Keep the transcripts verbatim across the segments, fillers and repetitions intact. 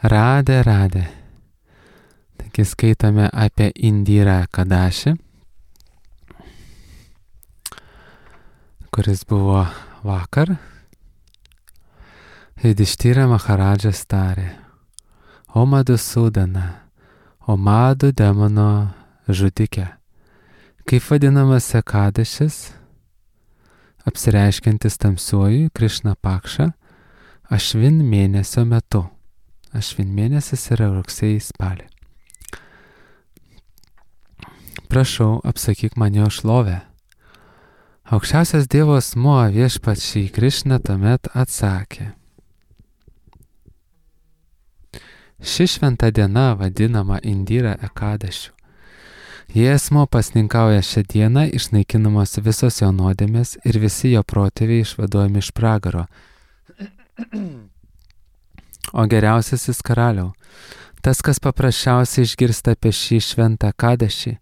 Radė, radė. Taigi skaitame apie Indirą Kadaši, kuris buvo vakar. Yudhišthira Maharadžas tarė: O Madhusudana, o Madhu demono žudike, kaip vadinamas Kadašis, apsireiškiantis tamsiuoju Krišna Pakša, Ašvin mėnesio metu. Ašvin mėnesis yra rugsėjį spalį. Prašau, apsakyk man jo šlovę. Aukščiausias Dievo asmuo Viešpats Šri Krišna tuomet atsakė: Ši šventa diena vadinama Indira Ekadašiu. Jei asmuo pasninkauja šią dieną, išnaikinamos visos jo nuodėmės ir visi jo protėviai išvaduojami iš pragaro. O geriausiasis karaliau, tas, kas paprasčiausiai išgirsta apie šį šventą Kadašį,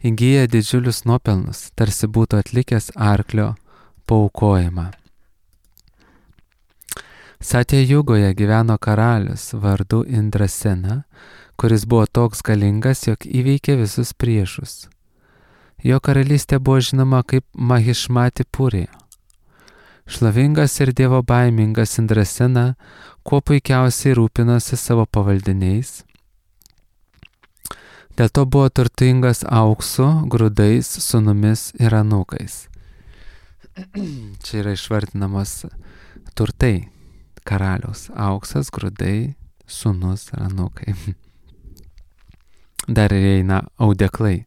įgyja didžiulius nuopelnus, tarsi būtų atlikęs arklio paaukojimą. Satya Jugoje gyveno karalius vardu Indrasena, kuris buvo toks galingas, jog įveikė visus priešus. Jo karalystė buvo žinoma kaip Mahišmati Puri. Šlovingas ir dievo baimingas Indrasena kuo puikiausiai rūpinosi savo pavaldiniais. Dėl to buvo turtingas auksu, grūdais, sūnumis ir anūkais. Čia yra išvardinamos turtai karaliaus: auksas, grūdai, sūnus ir anūkai. Dar įeina audeklai,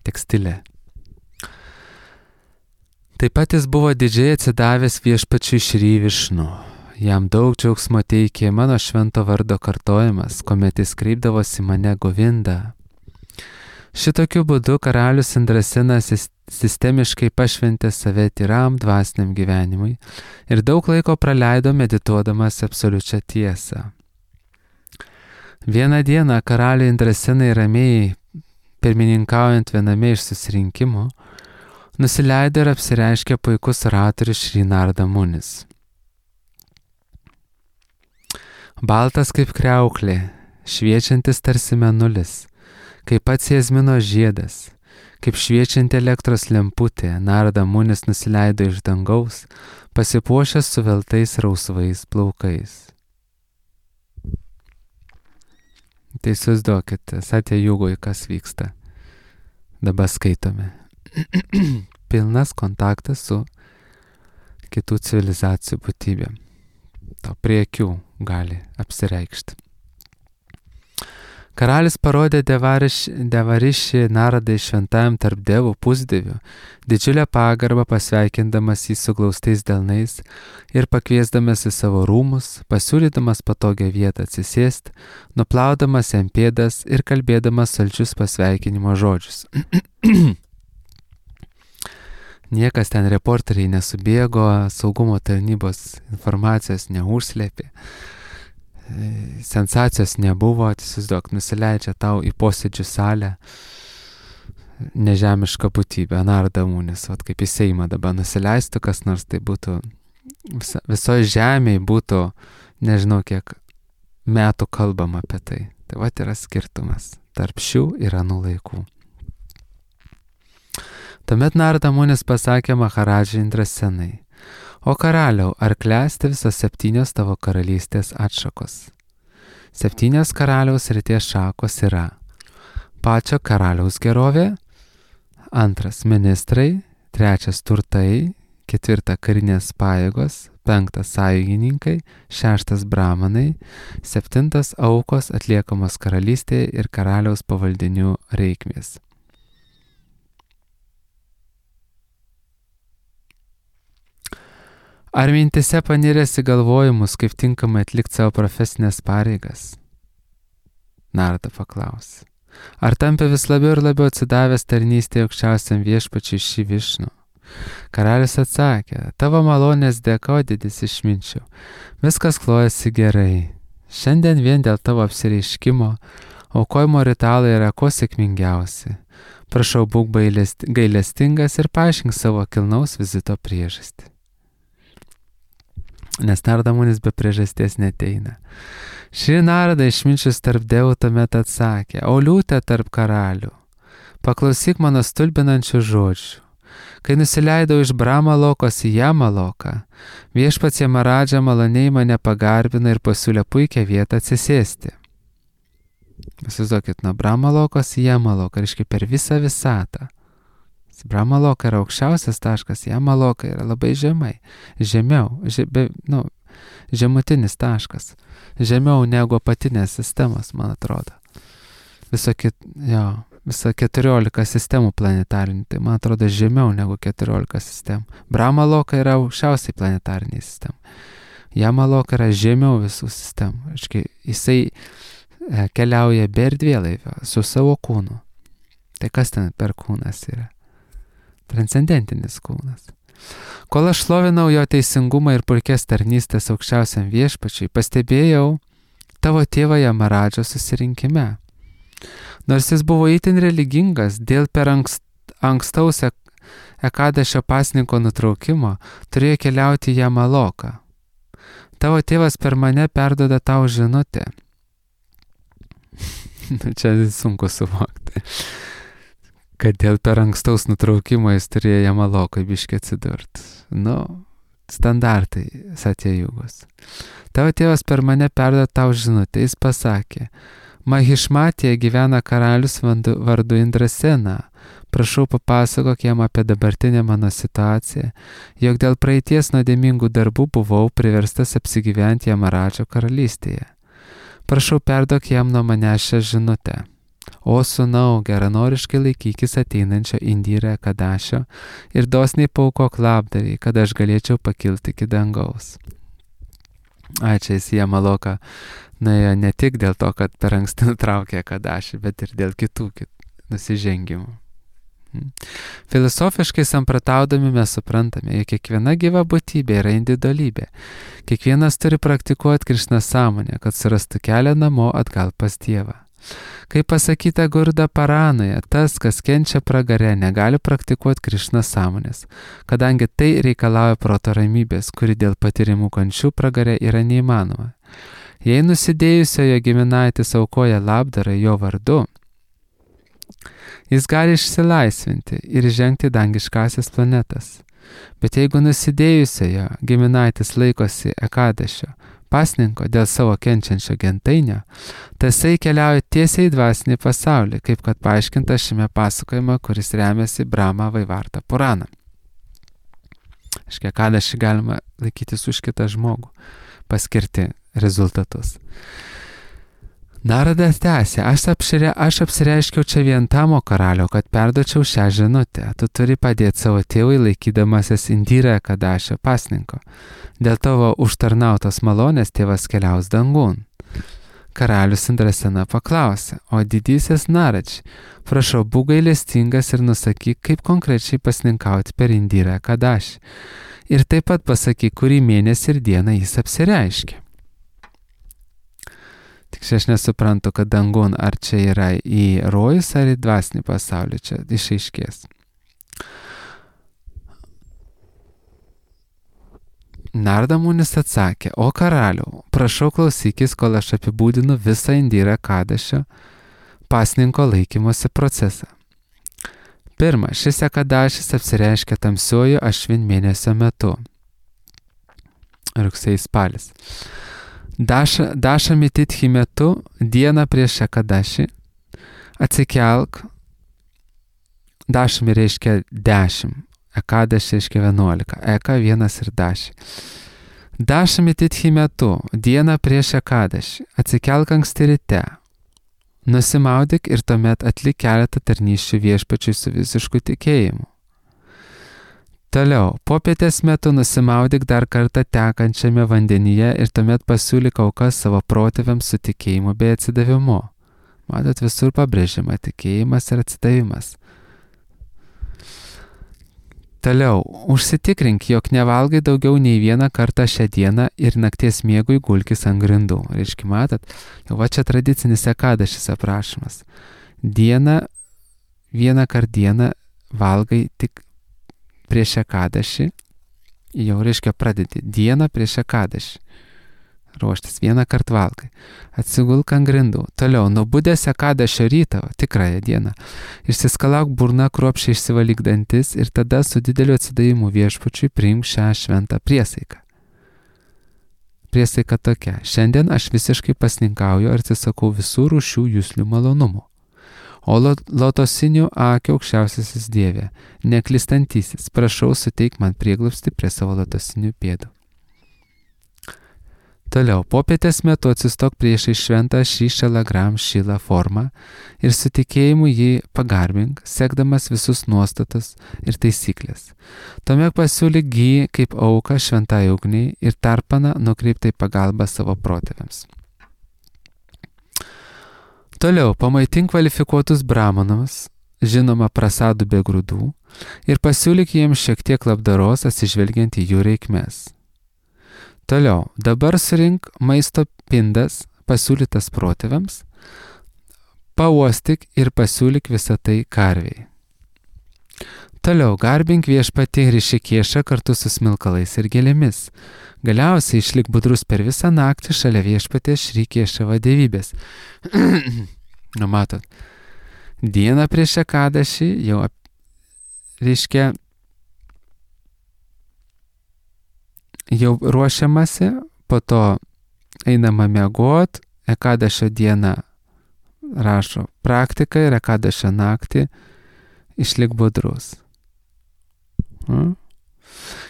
tekstilė. Taip pat jis buvo didžiai atsidavęs Viešpačiui Šri Višnu. Jam daug džiaugsmo teikė mano švento vardo kartojimas, kuomet jis kreipdavosi mane Govinda. Šitokiu būdu karalius Indrasenas sistemiškai pašventė save tyram dvasiniam gyvenimui ir daug laiko praleido medituodamas absoliučią tiesą. Vieną dieną karaliui Indrasenai ramiai pirmininkaujant viename iš susirinkimų, nusileido ir apsireiškė puikus oratorius Šri Narada Munis. Baltas kaip kriauklė, šviečiantis tarsi mėnulis, kaip pats jazmino žiedas, kaip šviečianti elektros lemputė, Narada Munis nusileido iš dangaus, pasipuošęs suveltais rausvais plaukais. Tai įsivaizduokite, Satya Jugoj, kas vyksta. Dabar skaitome. Pilnas kontaktas su kitų civilizacijų būtybėm. To prie akių gali apsireikšti. Karalis parodė Devarišį Naradai šventajam tarp devų pusdievių, didžiulę pagarbą pasveikindamas jį su glaustais delnais ir pakviesdamas į savo rūmus, pasiūlydamas patogią vietą atsisėsti, nuplaudamas jam pėdas ir kalbėdamas saldžius pasveikinimo žodžius. Niekas ten reporteriai nesubėgo, saugumo tarnybos informacijos neužslėpė, sensacijos nebuvo, įsivaizduok, nusileidžia tau į posėdžių salę nežemiška būtybė, Narada Munis, vat kaip į Seimą dabar nusileistų kas nors, tai būtų, visa, visoje žemėje būtų, nežinau kiek metų kalbama apie tai. Tai vat yra skirtumas tarp šių ir anų laikų. Tuomet Narada Munis pasakė Maharadžai Indrasenai: O karaliau, ar klesti visos septynios tavo karalystės atšakos? Septynios karaliaus srities šakos yra: pačio karaliaus gerovė, antras ministrai, trečias turtai, ketvirta karinės pajėgos, penktas sąjungininkai, šeštas brahmanai, septintas aukos atliekamos karalystėje ir karaliaus pavaldinių reikmės. Ar mintise paniręs į galvojimus, kaip tinkamai atlikti savo profesinės pareigas? Narada paklausė. Ar tampi vis labiau ir labiau atsidavęs tarnystėje aukščiausiam Viešpačiui Šri Višnu? Karalius atsakė: tavo malonės dėka, didis išminčiau, viskas klojasi gerai. Šiandien vien dėl tavo apsireiškimo aukojimo ritualai yra kuo sėkmingiausi. Prašau, būk gailestingas ir paaiškink savo kilnaus vizito priežastį. nes Nardamunis be priežasties neteina. Šri Narada išminčius tarp dievų tuomet atsakė, o liūtė tarp karalių, paklausyk mano stulbinančių žodžių. Kai nusileidau iš Brahma lokos į Jama loką, viešpats Jamaradža maloniai mane pagarbino ir pasiūlė puikią vietą atsisėsti. Įsivaizduokit, nuo Brahma lokos į Jama loką, reiškia per visą visatą. Brahma loka yra aukščiausias taškas, Jama loka yra labai žemai, žemiau, žebe, nu, žemutinis taškas, žemiau negu apatinės sistemos, man atrodo. Viso, kit, jo, viso keturiolika sistemų planetarinių, tai man atrodo žemiau negu keturiolika sistemų. Brahma loka yra aukščiausiai planetariniai sistemai. Jama loka yra žemiau visų sistemų. Aiškiai, jisai e, keliauja be erdvėlaivio su savo kūnu. Tai kas ten per kūnas yra? Transcendentinis kūnas. Kol aš šlovinau jo teisingumą ir puikias tarnystės aukščiausiam viešpačiui, pastebėjau tavo tėvą Jamaradžą susirinkime. Nors jis buvo itin religingas, dėl per ankst, ankstaus Ekadešio pasninko nutraukimo turėjo keliauti į Jamaloką. Tavo tėvas per mane perduoda tau žinutę. Čia sunku suvokti. Kad dėl per ankstaus nutraukimo jis turėjo Jamalokai biškį atsidurti. Nu, standartai Satyajugos. Tavo tėvas per mane perduoda tau žinutę. Jis pasakė, Mahišmatėje gyvena karalius vardu Indrasena. Prašau papasakok jam apie dabartinę mano situaciją, jog dėl praeities nuodėmingų darbų buvau priverstas apsigyventi Jamaradžo karalystėje. Prašau perduok jam nuo manęs šią žinutę. O sūnau, geranoriškai laikykis ateinančio Indira Kadašio ir dosniai paukok labdariai, kad aš galėčiau pakilti iki dangaus. Ai, čia jis Jamaloką nuėjo ne tik dėl to, kad per anksti nutraukė Kadašį, bet ir dėl kitų kit, nusižengimų. Filosofiškai samprataudami mes suprantame, jog kiekviena gyva būtybė yra individualybė. Kiekvienas turi praktikuoti Krišna sąmonę, kad surastų kelią namo atgal pas Dievą. Kaip pasakyta Gurda Paranoje, tas, kas kenčia pragare, negali praktikuoti Krišna sąmonės, kadangi tai reikalauja proto ramybės, kuri dėl patirimų kančių pragare yra neįmanoma. Jei nusidėjusiojo giminaitis aukoja labdarą jo vardu, jis gali išsilaisvinti ir žengti dangiškasias planetas. Bet jeigu nusidėjusiojo giminaitis laikosi Ekadešio pasninko dėl savo kenčiančio gentainio, tasai keliauja tiesiai į dvasinį pasaulį, kaip kad paaiškinta šiame pasakojime, kuris remiasi Brahma Vaivarta Purana. Aiškiai, Ekadešį galima laikytis už kitą žmogų, paskirti rezultatus. Naradas tęsė, aš, apšire, aš apsireiškiau čia vien tamo karalio, kad perduočiau šią žinutę. Tu turi padėti savo tėvui laikydamasis Indira Kadašio pasninko. Dėl tavo užtarnautos malonės tėvas keliaus dangun. Karalius Indrasena paklausė, o didysis Naradž, prašau, būk gailestingas ir nusakyk, kaip konkrečiai pasninkauti per Indirą Kadašį. Ir taip pat pasakyk, kurį mėnesį ir dieną jis apsireiškė. Tik čia aš nesuprantu, kad dangun ar čia yra į rojus ar į dvasinį pasaulį, čia išaiškės. Nardamunis atsakė, o karaliau, prašau klausykis, kol aš apibūdinu visą Indirą Kadašio pasninko laikymosi procesą. Pirma, šis Ekadašis apsireiškia tamsiuoju Ašvin mėnesio metu. Rugsėjis spalis. Daša, dašami titchi metu, dieną prieš Ekadašį, atsikelk, dašami reiškia dešimt, Ekadašį reiškia vienuolika, Eka vienas ir daši. Dašami titchi metu, dieną prieš Ekadašį, atsikelk anksti ryte, nusimaudyk ir tuomet atlik keletą tarnysčių viešpačiui su visišku tikėjimu. Toliau, popietės metu nusimaudyk dar kartą tekančiame vandenyje ir tuomet pasiūlyk aukas savo protėviams su tikėjimu bei atsidavimu. Matot, visur pabrėžiama tikėjimas ir atsidavimas. Toliau, užsitikrink, jog nevalgai daugiau nei vieną kartą šią dieną ir nakties miegui gulkis ant grindų. Reiškia, matot, jau va čia tradicinis Ekadašis aprašymas. Dieną, vieną kart dieną valgai tik prieš Ekadašį jau reiškia pradedi dieną prieš Ekadašį. Ruoštis vieną kartą valgai. Atsigulk ant grindų. Toliau, nubudęs Ekadašio rytą, tikrąją dieną, išsiskalauk burną, kruopščiai išsivalyk dantis ir tada su dideliu atsidavimu viešpačiui priimk šią šventą priesaiką. Priesaika tokia. Šiandien aš visiškai pasninkauju ir atsisakau visų rūšių juslių malonumų. O lotosinių akių aukščiausiasis Dieve, neklystantysis, prašau suteik man prieglobstį prie savo lotosinių pėdų. Toliau, popietės metu atsistok priešai šventą Šišalagram Šilą formą ir su tikėjimu jį pagarbink, sekdamas visus nuostatas ir taisyklės. Tuomet pasiūlyk jį kaip auką šventai ugniai ir tarpaną nukreiptai pagalbą savo protėviams. Toliau, pamaitink kvalifikuotus brahmanams, žinoma prasadų be grūdų, ir pasiūlyk jiems šiek tiek labdaros atsižvelgiant į jų reikmes. Toliau, dabar surink maisto pindas pasiūlytas protėviams, pauostik ir pasiūlyk visą tai karvei. Toliau, garbink viešpatį Rišikiešą kartu su smilkalais ir gėlėmis. Galiausiai išlik budrus per visą naktį šalia viešpatės Rišikiešavo dievybės. Nu, matot, dieną prieš Ekadašį jau reiškia jau ruošiamasi, po to einama miegot, Ekadašio dieną rašo praktiką ir Ekadašio naktį išlik budrus. Hmm?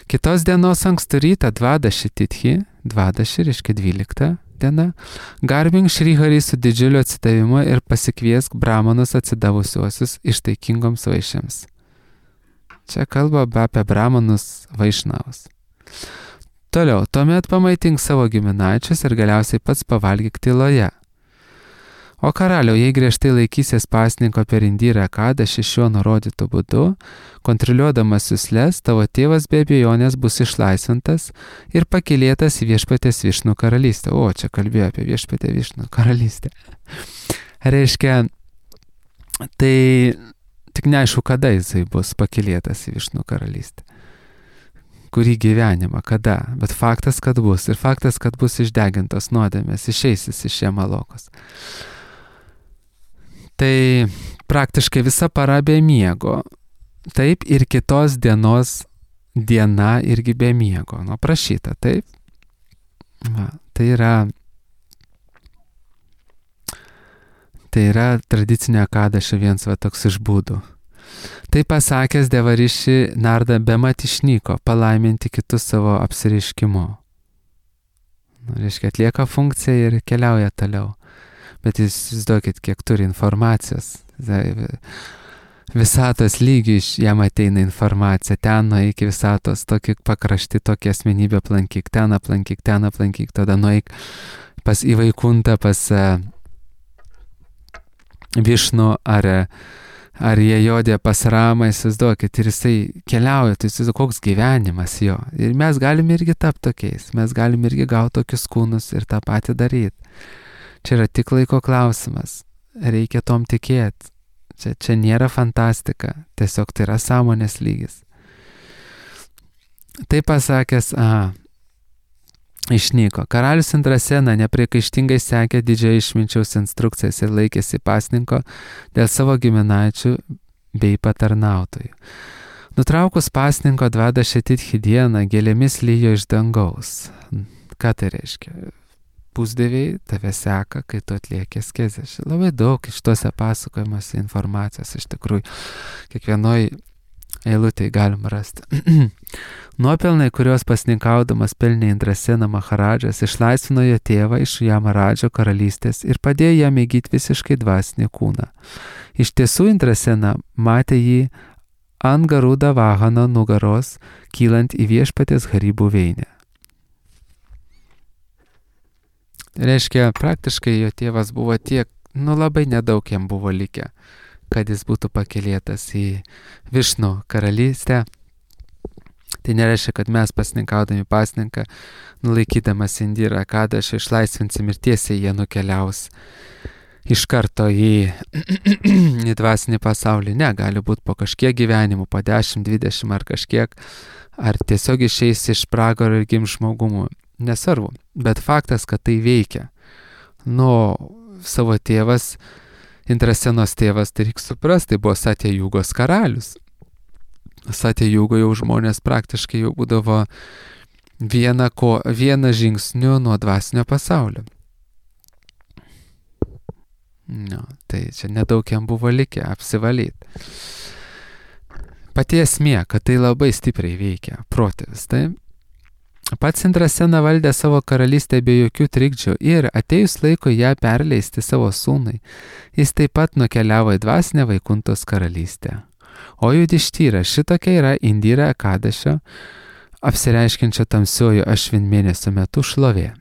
Kitos dienos ankstų rytą Dvadaši Tithi, Dvadaši reiškia dvylikta diena, garbink Šriharį su didžiuliu atsidavimu ir pasikviesk brahmanus atsidavusiuosius ištaikingoms vaišėms. Čia kalba apie brahmanus vaišnavus. Toliau, tuomet pamaitink savo giminaičius ir galiausiai pats pavalgyk tyloje. O karaliau, jei griežtai laikysies pasninko per Indyrą Ekadašį šiuo nurodytu būdu, kontroliuodamas jusles, tavo tėvas be abejonės bus išlaisvintas ir pakylėtas į viešpatės Višnų karalystę. O, čia kalbėjo apie viešpatę Višnų karalystę. Reiškia, tai tik neaišku, kada jisai bus pakylėtas į Višnų karalystę. Kurį gyvenimą, kada, bet faktas, kad bus. Ir faktas, kad bus išdegintos nuodėmės, išeisis iš Jemalokos. Tai praktiškai visa para be miego. Taip ir kitos dienos diena irgi be miego. Nu, prašyta, taip. Va, tai yra tai yra tradicinė Ekadašio vienas va toks iš būdų. Tai pasakęs Devariši Narda bemat išnyko palaiminti kitus savo apsireiškimu. Nu, reiškia, atlieka funkciją ir keliauja toliau. Bet jūs įsivaizduokit, kiek turi informacijos. Visatos lygių iš jam ateina informacija. Ten nueik į visatos, tokį pakrašti, tokį asmenybę aplankyk, ten aplankyk, ten aplankyk, tada nueik pas į Vaikuntą, pas uh, Višnų ar Ar jie jodė pas Ramą, įsivaizduokit, ir jisai keliauja, tai įsivaizduokit, koks gyvenimas jo. Ir mes galime irgi tapti tokiais, mes galime irgi gauti tokius kūnus ir tą patį daryti. Čia yra tik laiko klausimas, reikia tom tikėti. Čia, čia nėra fantastika, tiesiog tai yra sąmonės lygis. Tai pasakęs, aha, išnyko. Karalius Indrasena nepriekaištingai sekė didžiojo išminčiaus instrukcijas ir laikėsi pasninko dėl savo giminaičių bei patarnautojų. Nutraukus pasninko Dvadaši Tithi dieną gėlėmis lyjo iš dangaus. Ką tai reiškia? Pusdieviai tave seka, kai tu atlieki askezę. Labai daug iš tuose pasakojimuose informacijos iš tikrųjų. Kiekvienoj eilutėj galima rasti. Nuopelnai, kuriuos pasninkaudamas pelnė Indrasena Maharadžas, išlaisvino jo tėvą iš Jamaradžo karalystės ir padėjo jam įgyti visiškai dvasinį kūną. Iš tiesų Indrasena matė jį ant Garuda Vahano nugaros, kylant į viešpatės Hari buveinę. Reiškia, praktiškai jo tėvas buvo tiek, nu labai nedaug jam buvo likę, kad jis būtų pakylėtas į Višnų karalystę. Tai nereiškia, kad mes pasninkaudami pasninką, nulaikydamas Indyrą Ekadašį, išlaisvinsim ir tiesiai jie nukeliaus iš karto į, į dvasinį pasaulį. Ne, gali būti po kažkiek gyvenimų, po dešimt, dvidešimt ar kažkiek, ar tiesiog išeis iš pragaro ir gims žmogumu. Nesvarbu, bet faktas, kad tai veikia. Nu, savo tėvas, Indrasenos tėvas, tai reikia suprasti, tai buvo Satya Jugos karalius. Satya Jugo jau žmonės praktiškai jau būdavo vieną, ko, vieną žingsnių nuo dvasinio pasaulio. No, tai čia nedaug jam buvo likę apsivalyti. Pati esmė, kad tai labai stipriai veikia protėvis, tai pats Indrasena valdė savo karalystę be jokių trikdžių ir atėjus laiko ją perleisti savo sūnui, jis taip pat nukeliavo į dvasinę Vaikuntos karalystę. O Judištyra, šitokia yra Indira Ekadešio, apsireiškiančio tamsiuoju Ašvin mėnesio metu šlovė.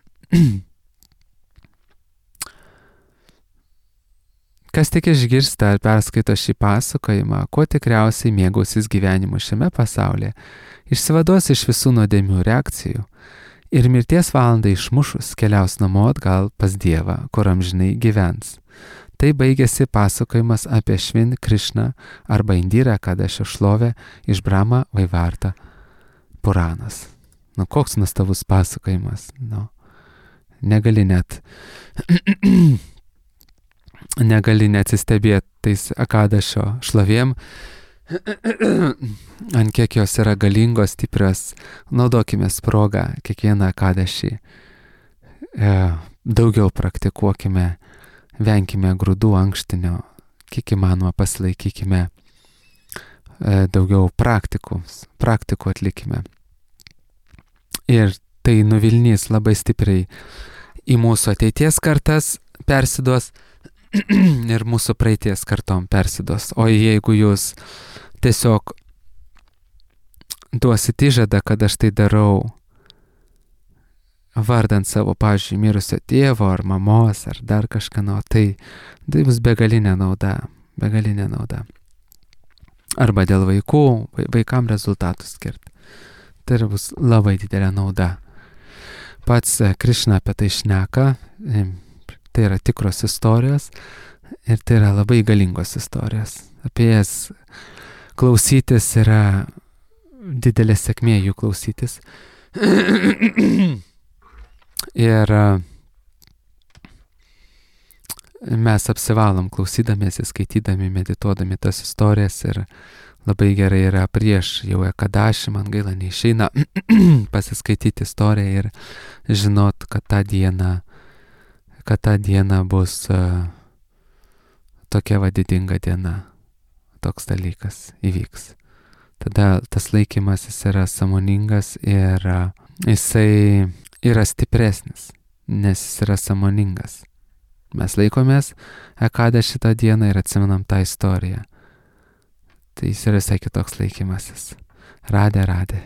Kas tik išgirsta ar perskaito šį pasakojimą, kuo tikriausiai mėgausis gyvenimu šiame pasaulyje, išsivaduos iš visų nuodėmių reakcijų ir mirties valandą išmušus keliaus namo atgal pas Dievą, kur amžinai gyvens. Tai baigėsi pasakojimas apie Švin Krišną arba Indira Ekadešio šlovę iš Brahma Vaivarta Puranas. Nu, koks nuostabus pasakojimas. Nu, negali net... negali neatsistebėti tais Ekadešio šlovėm, ant kiek jos yra galingos, stiprios. Naudokime progą kiekvieną Ekadešį. E, daugiau praktikuokime, venkime grūdų ankštinio, kiek įmanoma pasilaikykime, e, daugiau praktikums, praktikų atlikime. Ir tai nuvilnys labai stipriai į mūsų ateities kartas persiduos ir mūsų praeities kartom persiduos. O jeigu jūs tiesiog duosit įžadą, kad aš tai darau vardant savo, pavyzdžiui, mirusio tėvo ar mamos ar dar kažką, nu, tai tai bus begalinė nauda, begalinė nauda. Arba dėl vaikų, vaikam rezultatų skirti. Tai bus labai didelė nauda. Pats Krišna apie tai šneka, tai yra tikros istorijos ir tai yra labai galingos istorijos. Apie jas klausytis yra didelė sėkmė jų klausytis. Ir mes apsivalom klausydamiesi, skaitydami, medituodami tas istorijas ir labai gerai yra prieš jau Ekadašį, man gaila neišeina pasiskaityti istoriją ir žinot, kad tą dieną kad ta diena bus uh, tokia vadidinga diena, toks dalykas įvyks. Tada tas laikymasis yra sąmoningas ir uh, jisai yra stipresnis, nes jis yra sąmoningas. Mes laikomės Ekadą šitą dieną ir atsimenam tą istoriją. Tai jis yra visai kitoks laikymasis. Radė, radė.